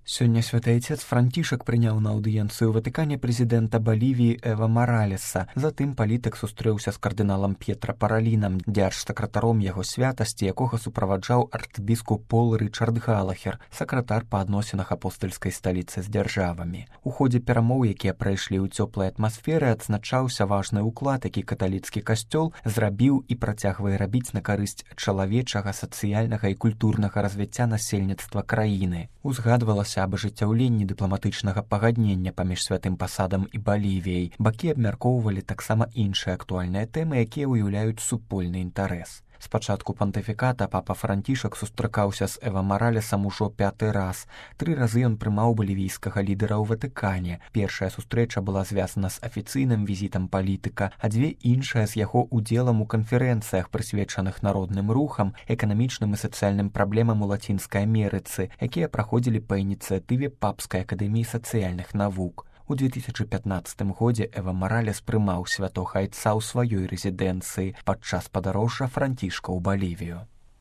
Сёння святы айцец Францішак прыняў на аўдыенцыю ў Ватыкане прэзідэнта Балівіі Эва Маралеса. Затым палітык сустрэўся з кардыналам П'етра Паралінам, дзяржсакратаром яго святасці, якога суправаджаў арцбіскуп Пол Рычард Галахер, сакратар па адносінах апостальскай сталіцы з дзяржавамі. У ходзе перамоў, якія прайшлі ў цёплай атмасферы, адзначаўся важны ўклад, які каталіцкі касцёл зрабіў і працягвае рабіць на карысць чалавечага, сацыяльнага і культурнага развіцця насельніцтва краіны. Узгадвалася аб ажыццяўленні дыпламатычнага пагаднення паміж святым пасадам і Балівіяй. Бакі абмяркоўвалі таксама іншыя актуальныя тэмы, якія ўяўляюць супольны інтарэс. З пачатку пантыфіката папа Францішак сустракаўся з Эва Маралесам ужо 5-й раз. 3 разы ён прымаў балівійскага лідара ў Ватыкане. Першая сустрэча была звязана з афіцыйным візітам палітыка, а 2 іншыя з яго удзелам у канферэнцыях, прысвечаных народным рухам, эканамічным і сацыяльным праблемам у Лацінскай Амерыцы, якія праходзілі па ініцыятыве Папскай акадэміі сацыяльных навук. У 2015 годзе Эва Маралес прымаў святога айца ў сваёй рэзідэнцыі падчас падарожжа Францішка ў Балівію.